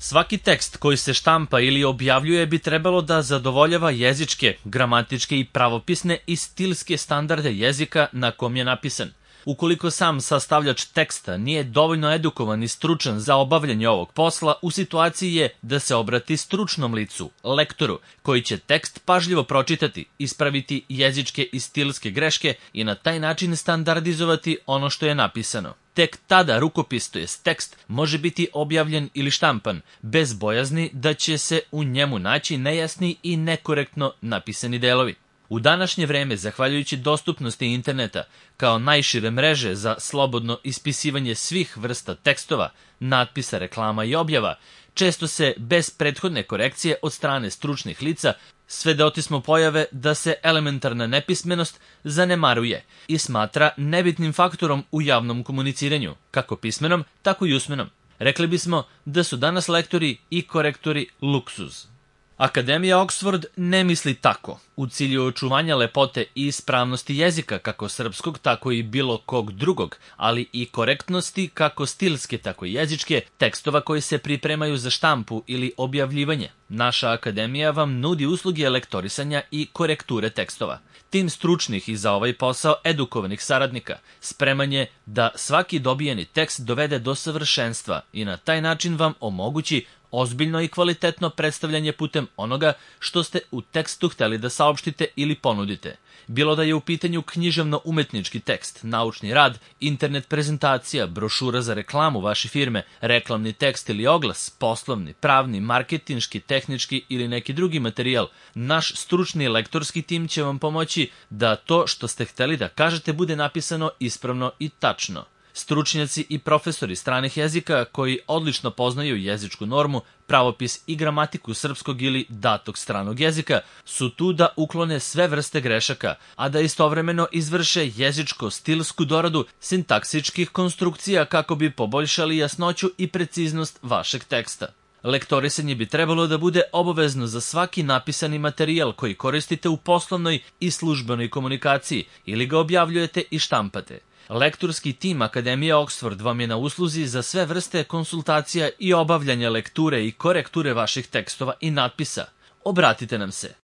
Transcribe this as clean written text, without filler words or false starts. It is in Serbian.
Svaki tekst koji se štampa ili objavljuje bi trebalo da zadovoljava jezičke, gramatičke i pravopisne i stilske standarde jezika na kom je napisan. Ukoliko sam sastavljač teksta nije dovoljno edukovan i stručan za obavljanje ovog posla, u situaciji je da se obrati stručnom licu, lektoru, koji će tekst pažljivo pročitati, ispraviti jezičke i stilske greške i na taj način standardizovati ono što je napisano. Tek tada rukopis, to jest tekst, može biti objavljen ili štampan, bez bojazni da će se u njemu naći nejasni i nekorektno napisani delovi. U današnje vreme, zahvaljujući dostupnosti interneta kao najšire mreže za slobodno ispisivanje svih vrsta tekstova, natpisa, reklama i objava, često se bez prethodne korekcije od strane stručnih lica svedoci smo pojave da se elementarna nepismenost zanemaruje i smatra nebitnim faktorom u javnom komuniciranju, kako pismenom, tako i usmenom. Rekli bismo da su danas lektori i korektori luksuz. Akademija Oxford ne misli tako. U cilju očuvanja lepote i ispravnosti jezika, kako srpskog, tako i bilo kog drugog, ali i korektnosti, kako stilske, tako i jezičke, tekstova koji se pripremaju za štampu ili objavljivanje. Naša akademija vam nudi usluge lektorisanja i korekture tekstova. Tim stručnih i za ovaj posao edukovanih saradnika spreman je da svaki dobijeni tekst dovede do savršenstva i na taj način vam omogući ozbiljno i kvalitetno predstavljanje putem onoga što ste u tekstu hteli da saopštite ili ponudite. Bilo da je u pitanju književno-umetnički tekst, naučni rad, internet prezentacija, brošura za reklamu vaše firme, reklamni tekst ili oglas, poslovni, pravni, marketinški, tehnički ili neki drugi materijal, naš stručni lektorski tim će vam pomoći da to što ste hteli da kažete bude napisano ispravno i tačno. Stručnjaci i profesori stranih jezika koji odlično poznaju jezičku normu, pravopis i gramatiku srpskog ili datog stranog jezika su tu da uklone sve vrste grešaka, a da istovremeno izvrše jezičko-stilsku doradu sintaksičkih konstrukcija kako bi poboljšali jasnoću i preciznost vašeg teksta. Lektorisanje bi trebalo da bude obavezno za svaki napisani materijal koji koristite u poslovnoj i službenoj komunikaciji ili ga objavljujete i štampate. Lektorski tim Akademije Oxford vam je na usluzi za sve vrste konsultacija i obavljanja lekture i korekture vaših tekstova i natpisa. Obratite nam se.